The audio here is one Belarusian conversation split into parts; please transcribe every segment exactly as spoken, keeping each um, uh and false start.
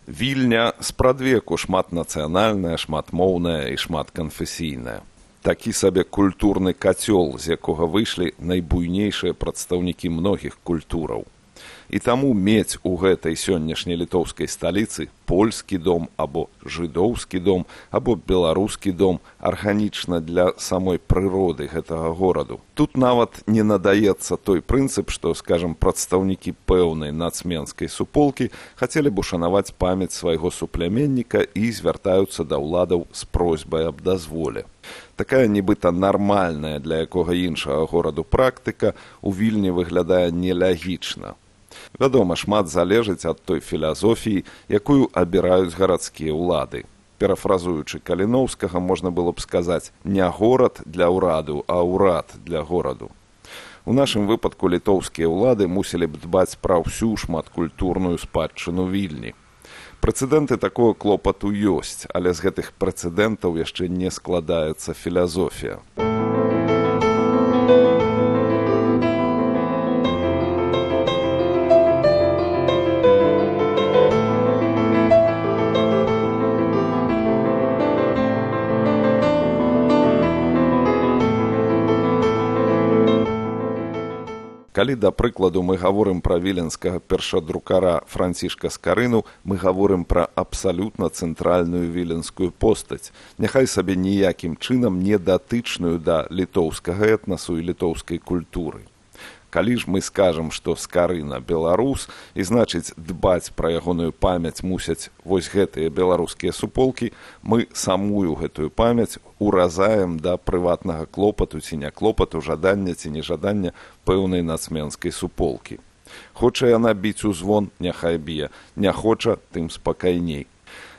Вільня спрадвеку шматнацыянальная, шматмоўная і шматканфесійная. Такі сабе культурны кацёл, з якога выйшлі найбуйнейшыя прадстаўнікі многіх культураў. І таму мець у гэтай сённяшняй літоўскай сталіцы польскі дом або жыдоўскі дом або беларускі дом арганічна для самой прыроды гэтага гораду. Тут нават не надаецца той прынцып, што, скажам, прадстаўнікі пэўнай нацменскай суполкі хацелі б ушанаваць памяць свайго супляменніка і звяртаюцца да ўладаў з просьбай аб дазволе. Такая нібыта нармальная для якога іншага гораду практыка у Вільні выглядае нелягічна. Вядома, шмат залежыць ад той філасофіі, якую абіраюць гарадскія ўлады. Перафразуючы Каліноўскага, можна было б сказаць не горад для ўраду, а ўрад для гораду. У нашым выпадку літоўскія ўлады мусілі б дбаць пра ўсю шматкультурную спадчыну Вільні. Прэцэдэнты такого клопату ёсць, але з гэтых прэцэдэнтаў яшчэ не складаецца філасофія. Калі, да прыкладу, мы гаворым пра віленскага першадрукара Францішка Скарыну, мы гаворым пра абсалютна цэнтральную віленскую постаць, няхай сабе ніякім чынам не датычную да літоўскага этнасу і літоўскай культуры. Калі ж мы скажам, што Скарына беларус, і значыць дбаць пра ягоную памяць мусяць вось гэтыя беларускія суполкі, мы самую гэтую памяць уразаем да прыватнага клопату ці не клопату, жадання ці нежадання пэўнай нацменскай суполкі. Хоча яна біць у звон, няхай б'е, не хоча, тым спакайней.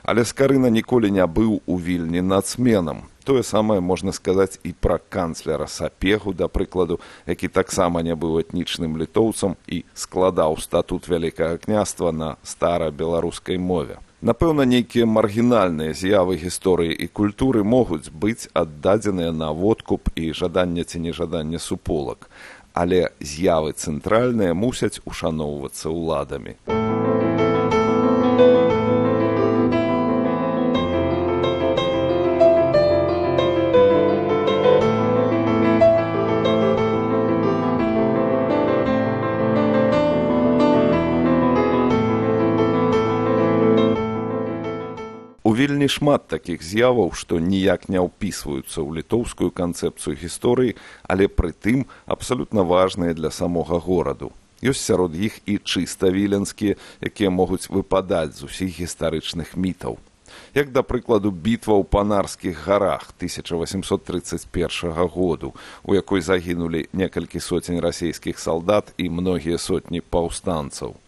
Але Скарына ніколі не быў у Вільні нацменам. Тое самае можна сказаць і пра канцлера Сапегу, да прыкладу, які таксама не быў этнічным літоўцам і складаў статут Вялікага княства на стара-беларускай мове. Напэўна, нейкія маргінальныя з'явы гісторыі і культуры могуць быць аддадзеныя на водкуп і жаданне ці нежаданне суполак, але з'явы цэнтральныя мусяць ушаноўвацца ўладамі. Вельмі шмат такіх з'яваў, што ніяк не ўпісваюцца ў літоўскую канцэпцыю гісторыі, але прытым абсалютна важныя для самога гораду. Ёсць сярод іх і чыста віленскія, якія могуць выпадаць з усіх гістарычных мітаў. Як, да прыкладу, бітва ў Панарскіх гарах тысяча васемсот трыццаць першага году, у якой загінулі некалькі сотень расійскіх салдат і многія сотні паўстанцаў.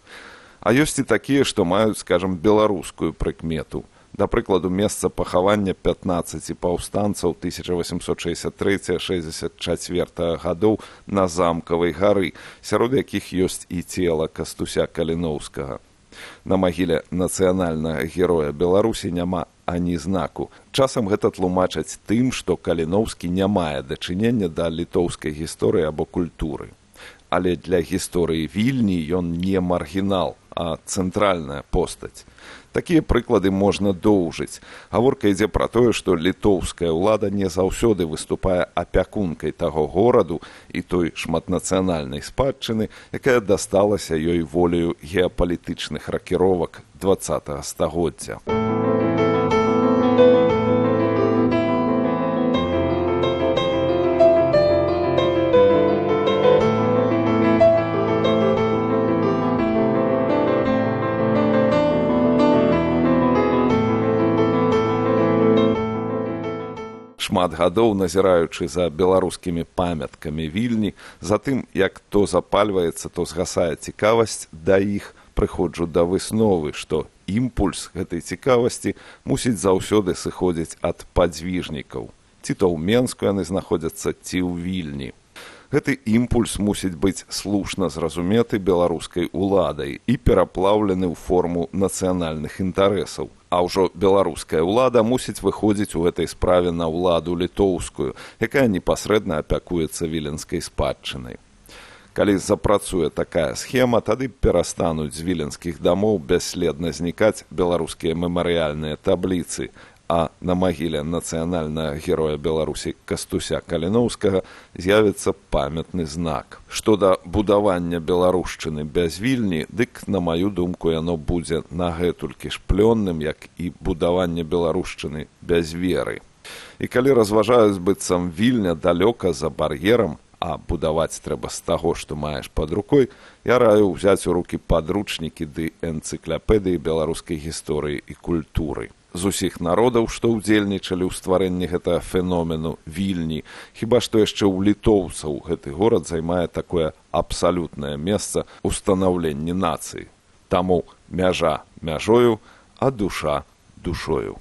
А ёсць і такія, што маюць, скажам, беларускую прыкмету. Да прыкладу, месца пахавання пятнаццаці паўстанцаў тысяча васемсот шэсцьдзясят трэцяга — шэсцьдзясят чацвёртага гадоў на Замкавай гары, сярод якіх ёсць і цела Кастуся Каліноўскага. На магіле нацыянальнага героя Беларусі няма ані знаку. Часам гэта тлумачаць тым, што Каліноўскі не мае дачынення да літоўскай гісторыі або культуры. Але для гісторыі Вільні ён не маргінал, а цэнтральная постаць. Такія прыклады можна доўжыць. Гаворка ідзе пра тое, што літоўская ўлада не заўсёды выступае апякункай таго гораду і той шматнацыянальнай спадчыны, якая дасталася ёй волею геапалітычных ракіровак дваццатага стагоддзя. Шмат гадоў назіраючы за беларускімі памяткамі Вільні, за тым, як то запальваецца, то згасае цікавасць да іх, прыходжу да высновы, што імпульс гэтай цікавасці мусіць заўсёды сыходзіць ад падзвіжнікаў. Ці то ў Менску яны знаходзяцца, ці ў Вільні. Гэты імпульс мусіць быць слушна зразуметы беларускай уладай і пераплаўлены ў форму нацыянальных інтарэсаў. А ўжо беларуская ўлада мусіць выходзіць у гэтай справе на ўладу літоўскую, якая непасрэдна апякуецца віленскай спадчынай. Калі запрацуе такая схема, тады перастануць з віленскіх дамоў бясследна знікаць беларускія мемарыяльныя табліцы, а на магіле нацыянальнага героя Беларусі Кастуся Каліноўскага з'явіцца памятны знак. Што да будавання беларушчыны без Вільні, дык, на маю думку, яно будзе нагэтулькі ж плённым, як і будаванне беларушчыны без веры. І калі разважаюць, быццам Вільня далёка за бар'ерам, а будаваць трэба з таго, што маеш пад рукой, я раю ўзяць у рукі падручнікі ды энцыклапедыі беларускай гісторыі і культуры. З усіх народаў, што ўдзельнічалі ў стварэнні гэтага феномену Вільні, хіба што яшчэ ў літоўцаў гэты горад займае такое абсалютнае месца ў станаўленні нацыі. Таму мяжа мяжою, а душа душою.